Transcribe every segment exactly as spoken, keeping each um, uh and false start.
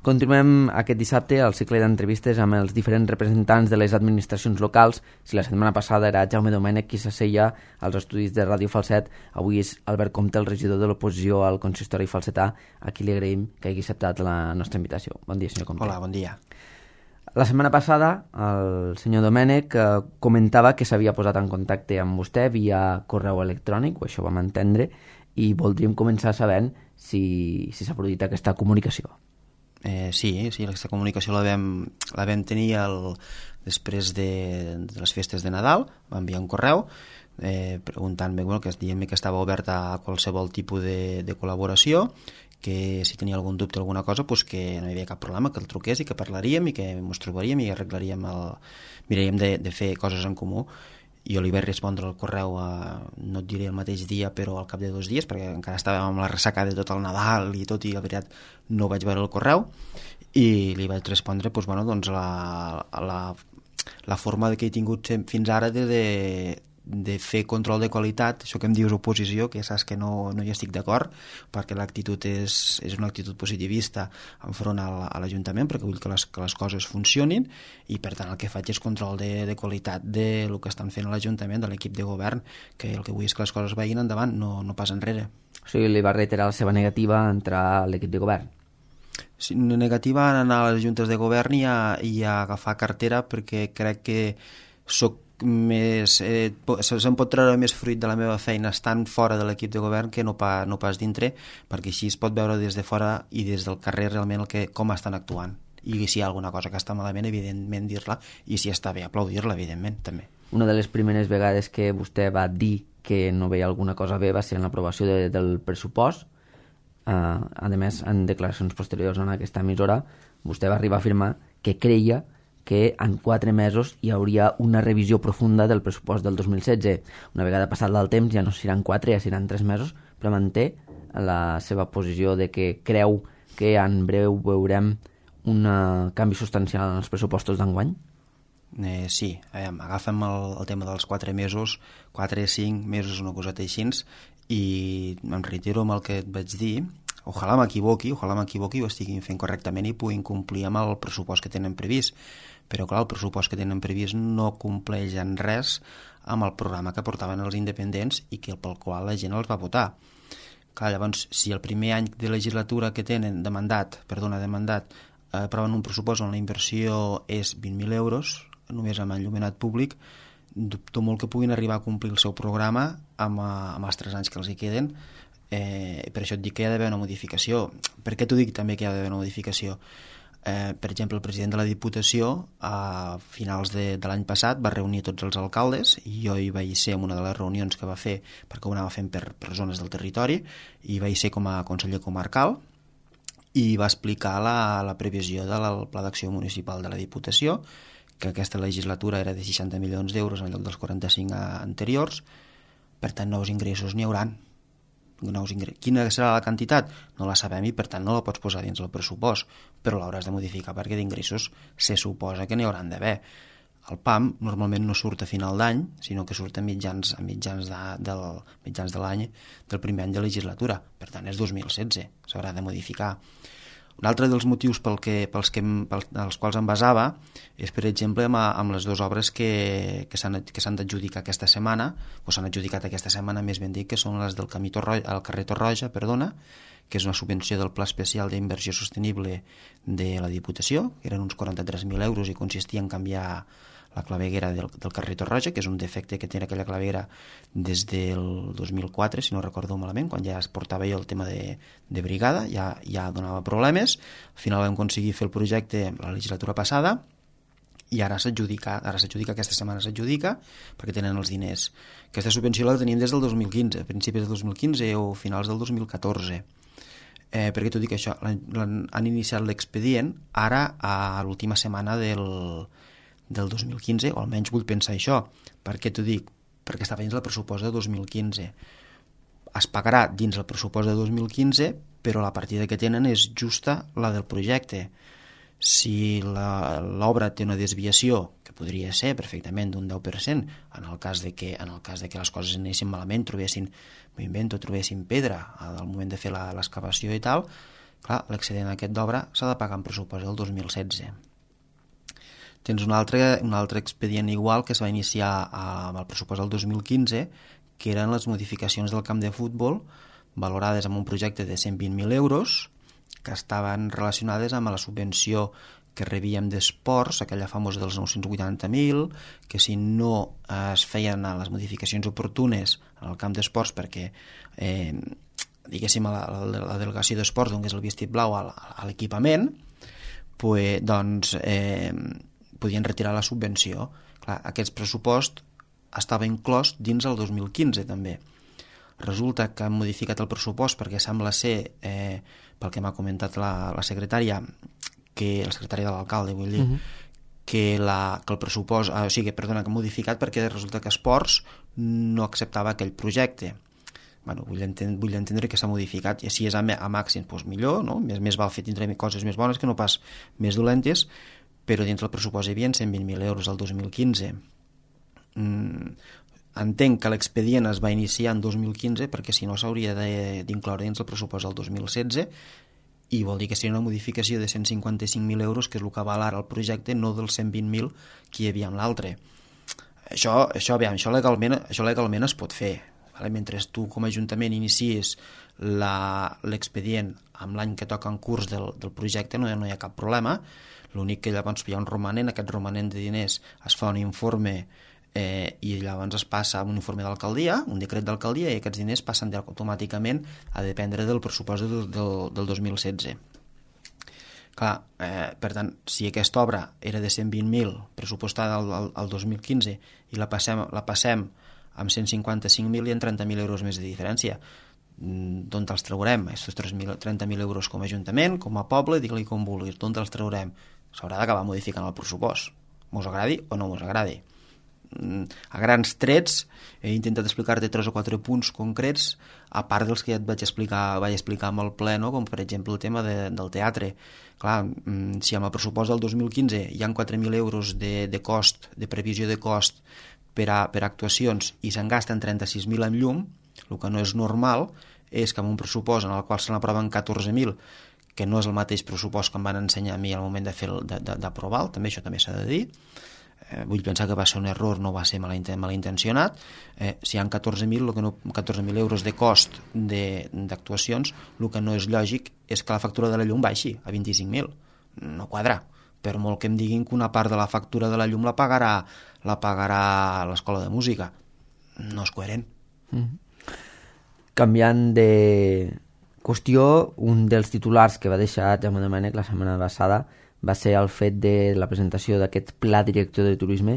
Continuem aquest dissabte el cicle d'entrevistes amb els diferents representants de les administracions locals. Si la setmana passada era Jaume Domènech qui s'asseia als estudis de Ràdio Falset, avui és Albert Comte, el regidor de l'oposició al consistori falsetà, a qui li agraïm que hagi acceptat la nostra invitació. Bon dia, senyor Comte. Hola, bon dia. La setmana passada el senyor Domènech eh, comentava que s'havia posat en contacte amb vostè via correu electrònic, o això vam entendre, i voldríem començar sabent si, si s'ha produït aquesta comunicació. Eh, sí, sí, aquesta comunicació la vam, la vam tenir el, després de, de les festes de Nadal. Va enviar un correu eh, preguntant-me, bueno, que dient-me que estava oberta a qualsevol tipus de, de col·laboració, que si tenia algun dubte o alguna cosa, pues que no hi havia cap problema, que el truqués i que parlaríem i que ens trobaríem i arreglaríem el... miraríem de, de fer coses en comú. Jo li vaig respondre el correu, a, no et diré el mateix dia, però al cap de dos dies, perquè encara estàvem amb la ressaca de tot el Nadal i tot, i la veritat no vaig veure el correu, i li vaig respondre doncs, bueno, doncs la, la, la forma que he tingut fins ara de, de, de fer control de qualitat, això que em dius oposició, que saps que no, no hi estic d'acord, perquè l'actitud és, és una actitud positivista enfront a l'Ajuntament, perquè vull que les, que les coses funcionin, i per tant el que faig és control de, de qualitat de lo que estan fent a l'Ajuntament, de l'equip de govern, que el que vull és que les coses vagin endavant, no, no pas enrere. O sigui, li va reiterar la seva negativa a entrar a l'equip de govern? Sí, negativa en anar a les juntes de govern i a, i a agafar cartera, perquè crec que soc més, eh, se'm pot treure més fruit de la meva feina estant fora de l'equip de govern que no, pa, no pas dintre, perquè així es pot veure des de fora i des del carrer realment el que, com estan actuant, i si hi ha alguna cosa que està malament, evidentment dir-la, i si està bé, aplaudir-la, evidentment, també. Una de les primeres vegades que vostè va dir que no veia alguna cosa bé va ser en l'aprovació de, del pressupost. Uh, a més, en declaracions posteriors en aquesta emissora, vostè va arribar a afirmar que creia que en quatre mesos hi hauria una revisió profunda del pressupost del dos mil setze. Una vegada passat el temps ja no seran quatre, ja seran tres mesos, però manté la seva posició de que creu que en breu veurem un canvi substancial en els pressupostos d'enguany? Eh, sí, eh, agafem el, el tema dels quatre mesos, quatre, cinc mesos, una coseta així, i em reitero amb el que et vaig dir. Ojalà m'equivoqui, ojalà m'equivoqui i ho estiguin fent correctament i puguin complir amb el pressupost que tenen previst. Però clar, el pressupost que tenen previst no compleix en res amb el programa que portaven els independents i que pel qual la gent els va votar. Clar, llavors, si el primer any de legislatura que tenen de mandat, perdona, de mandat, eh, aproven un pressupost on la inversió és vint mil euros, només amb enllumenat públic, dubto molt que puguin arribar a complir el seu programa amb, amb els tres anys que els hi queden. Eh, per això et dic que hi ha d'haver una modificació. Per què t'ho dic també que hi ha d'haver una modificació? Eh, per exemple, el president de la Diputació a finals de, de l'any passat va reunir tots els alcaldes i jo hi vaig ser en una de les reunions que va fer, perquè ho anava fent per, per zones del territori, i vaig ser com a conseller comarcal i va explicar la, la previsió del Pla d'Acció Municipal de la Diputació, que aquesta legislatura era de seixanta milions d'euros en lloc dels quaranta-cinc anteriors. Per tant, nous ingressos n'hi hauran. Nous ingressos. Quina serà la quantitat? No la sabem i per tant no la pots posar dins el pressupost, però l'hauràs de modificar perquè d'ingressos se suposa que n'hi hauran d'haver. El P A M normalment no surt a final d'any, sinó que surt a mitjans, a mitjans, de, del, mitjans de l'any del primer any de legislatura, per tant és dos mil setze, s'haurà de modificar. Un altre dels motius pel que, pels, que, pels, els quals em basava és, per exemple, amb, amb les dues obres que, que s'han d'adjudicar aquesta setmana, o s'han adjudicat aquesta setmana, més ben dit, que són les del camí Torroja, el carrer Torroja, perdona, que és una subvenció del Pla Especial d'Inversió Sostenible de la Diputació, que eren uns quaranta-tres mil euros i consistia en canviar la claveguera del, del carrer Torroja, que és un defecte que té aquella claveguera des del dos mil quatre, si no recordo malament, quan ja es portava jo el tema de, de brigada, ja, ja donava problemes. Al final vam aconseguir fer el projecte la legislatura passada i ara s'adjudica, ara s'adjudica, aquesta setmana s'adjudica, perquè tenen els diners. Aquesta subvenció la tenim des del dos mil quinze, a principis del dos mil quinze o finals del dos mil catorze. Eh, per què t'ho dic això? Han, han iniciat l'expedient ara a l'última setmana del del dos mil quinze, o almenys vull pensar això. Per què t'ho dic? Perquè estava dins el pressupost de dos mil quinze. Es pagarà dins el pressupost de dos mil quinze, però la partida que tenen és justa la del projecte. Si l'obra té una desviació, que podria ser perfectament d'un deu per cent, en el cas de que, en el cas de que les coses anessin malament, trobessin, m'ho invento, trobessin pedra al moment de fer l'excavació i tal, Clar, l'excedent aquest d'obra s'ha de pagar en pressupost del dos mil setze. Tens un altre, un altre expedient igual que es va iniciar amb el pressupost del dos mil quinze, que eren les modificacions del camp de futbol valorades amb un projecte de cent vint mil euros que estaven relacionades amb la subvenció que rebíem d'esports, aquella famosa dels nou-cents vuitanta mil, que si no es feien les modificacions oportunes en el camp d'esports perquè eh, diguéssim a la, la, la delegació d'esports donés el vestit blau a, a l'equipament, pues, doncs eh, podien retirar la subvenció. Clar, aquest pressupost estava inclòs dins el dos mil quinze també. Resulta que han modificat el pressupost perquè sembla ser, eh, pel que m'ha comentat la, la secretària, que la secretària de l'alcalde, vull dir, uh-huh. que, la, que el pressupost, ah, o sigui, perdona, que han modificat perquè resulta que Esports no acceptava aquell projecte. Bueno, vull, entendre, vull entendre que s'ha modificat, i si és a, a màxim, doncs millor, no? Més, més val fer tindre coses més bones que no pas més dolentes, però dins del pressupost hi havia cent vint mil euros el dos mil quinze. Mm, entenc que l'expedient es va iniciar en dos mil quinze perquè si no s'hauria d'incloure dins el pressupost del dos mil setze, i vol dir que seria una modificació de cent cinquanta-cinc mil euros, que és el que val ara el projecte, no dels cent vint mil que hi havia en l'altre. Això, això, aviam, això, legalment, això legalment es pot fer. Vale? Mentre tu com a Ajuntament inicies l'expedient amb l'any que toca en curs del, del projecte, no, no hi ha cap problema. L'únic que llavors hi ha un romanent, aquest romanent de diners es fa un informe eh, i llavors es passa a un informe d'alcaldia, un decret d'alcaldia, i aquests diners passen automàticament a dependre del pressupost del, del, del dos mil setze. Clar, eh, per tant, si aquesta obra era de cent vint mil pressupostada al, al, al dos mil quinze i la passem, la passem amb cent cinquanta-cinc mil i en trenta mil euros més de diferència, d'on els traurem? Estos trenta mil euros com a Ajuntament, com a poble, digue-li com vulguis, d'on els traurem? S'haurà d'acabar modificant el pressupost, mos agradi o no mos agradi. A grans trets he intentat explicar-te tres o quatre punts concrets, a part dels que ja et vaig explicar, vaig explicar amb el ple, no? Com per exemple el tema de, del teatre. Clar, si amb el pressupost del dos mil quinze hi ha quatre mil euros de, de cost, de previsió de cost per a, per a actuacions, i se'n gasten trenta-sis mil en llum, el que no és normal és que amb un pressupost en el qual se n'aproven catorze mil, que no és el mateix pressupost que em van ensenyar a mi al moment de fer d'aprovar, també això també s'ha de dir. Eh, vull pensar que va ser un error, no va ser malintencionat. Eh, si hi ha catorze mil no, catorze mil euros de cost d'actuacions, el que no és lògic és que la factura de la llum baixi a vint-i-cinc mil. No quadra. Per molt que em diguin que una part de la factura de la llum la pagarà la pagarà l'escola de música. No és coherent. Mm-hmm. Canviant de qüestió, un dels titulars que va deixar Jaume Domènech la setmana passada va ser el fet de la presentació d'aquest Pla Director de Turisme.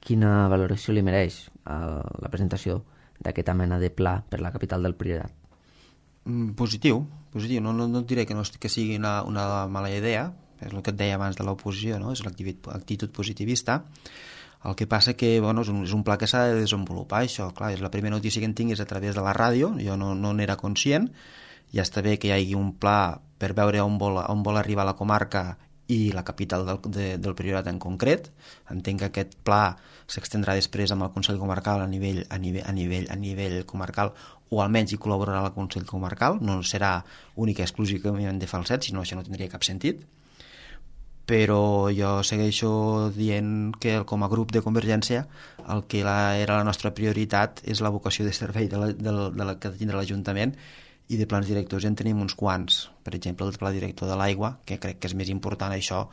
Quina valoració li mereix a la presentació d'aquesta mena de pla per la capital del Priorat? Mm, positiu, positiu. No, no, no et diré que, no, que sigui una, una mala idea, és el que et deia abans de l'oposició, no? És l'actitud positivista. El que passa que bueno, és, un, és un pla que s'ha de desenvolupar, això. Clar, és la primera notícia que en tinc és a través de la ràdio, jo no, no n'era conscient. Ja està bé que hi hagi un pla per veure on vol, on vol arribar la comarca i la capital del, de, del Priorat en concret. Entenc que aquest pla s'extendrà després amb el Consell Comarcal a nivell, a nivell, a nivell, a nivell comarcal, o almenys hi col·laborarà el Consell Comarcal, no serà únic i exclusivament de Falset, sinó això no tindria cap sentit. Però jo segueixo dient que com a grup de Convergència el que la, era la nostra prioritat és la vocació de servei de la, de la, de la que tindrà l'Ajuntament, i de plans directors ja en tenim uns quants. Per exemple, el pla director de l'aigua, que crec que és més important això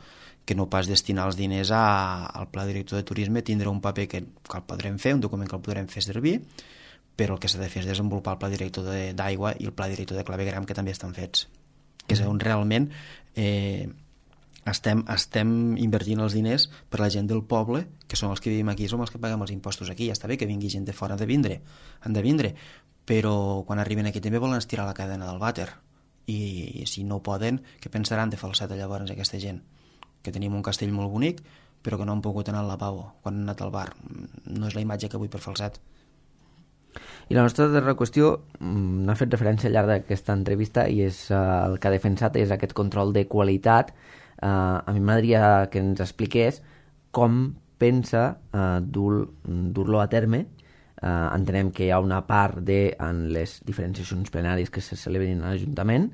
que no pas destinar els diners a, al pla director de turisme. Tindrà un paper que, que el podrem fer, un document que el podrem fer servir, però el que s'ha de fer és desenvolupar el pla director d'aigua i el pla director de clavegueram, que també estan fets, que és on realment eh, estem, estem invertint els diners per la gent del poble, que són els que vivim aquí, som els que paguem els impostos aquí. Ja està bé que vingui gent de fora, han de vindre, han de vindre, però quan arriben aquí també volen estirar la cadena del vàter, i si no poden, què pensaran de Falset llavors aquesta gent? Que tenim un castell molt bonic, però que no han pogut anar al lavabo quan han anat al bar. No és la imatge que vull per Falset. I la nostra darrera qüestió n'ha fet referència al llarg d'aquesta entrevista, i és uh, el que ha defensat és aquest control de qualitat. Uh, a mi m'agradaria que ens expliqués com pensa uh, dur, dur-lo a terme. Uh, entenem que hi ha una part de, en les diferents sessions plenàries que se celebrin a l'Ajuntament,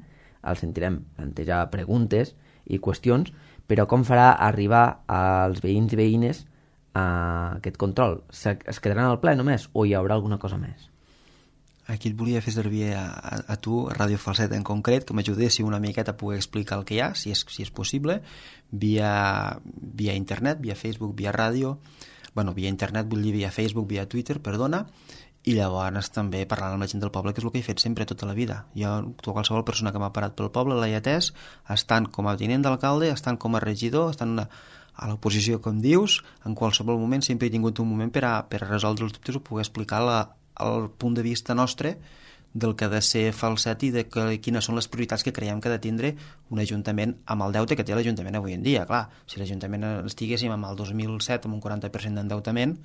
el sentirem plantejar preguntes i qüestions, però com farà arribar als veïns i veïnes a aquest control? Es quedaran al ple només o hi haurà alguna cosa més? Aquí et volia fer servir a, a, a tu, a Ràdio Falset en concret, que m'ajudessi una miqueta a poder explicar el que hi ha, si és, si és possible, via, via internet, via Facebook, via ràdio, bueno, via internet vull dir via Facebook, via Twitter, perdona, i llavors també parlant amb la gent del poble, que és el que he fet sempre tota la vida. Jo, qualsevol persona que m'ha parat pel poble l'he atès, estant com a tinent d'alcalde, estant com a regidor, estant a, a l'oposició, com dius, en qualsevol moment sempre he tingut un moment per a, per a resoldre els dubtes o poder explicar la, el punt de vista nostre del que ha de ser Falset i de que, quines són les prioritats que creiem que ha de tindre un ajuntament amb el deute que té l'Ajuntament avui en dia. Clar, si l'Ajuntament estiguéssim amb el dos mil set amb un quaranta per cent d'endeutament,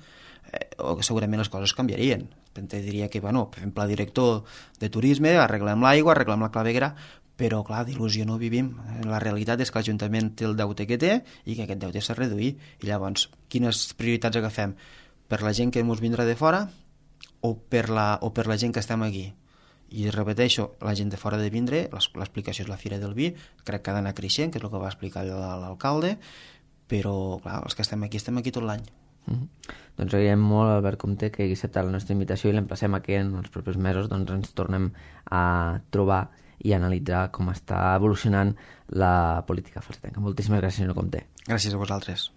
eh, segurament les coses canviarien. Te diria que, bueno, fem pla director de turisme, arreglem l'aigua, arreglem la claveguera, però, clar, d'il·lusió no vivim. La realitat és que l'Ajuntament té el deute que té i que aquest deute s'ha de reduir. I llavors, quines prioritats agafem? Per la gent que ens vindrà de fora o per la, o per la gent que estem aquí? I repeteixo, la gent de fora de vindre, l'explicació és la Fira del Vi, crec que ha d'anar creixent, que és el que va explicar l'alcalde, però, clar, els que estem aquí, estem aquí tot l'any. Mm-hmm. Doncs agraïm molt, Albert Comte, que hagi acceptat la nostra invitació i l'emplacem a que en els propers mesos doncs, ens tornem a trobar i analitzar com està evolucionant la política falsetenca. Moltíssimes gràcies, senyor Comte. Gràcies a vosaltres.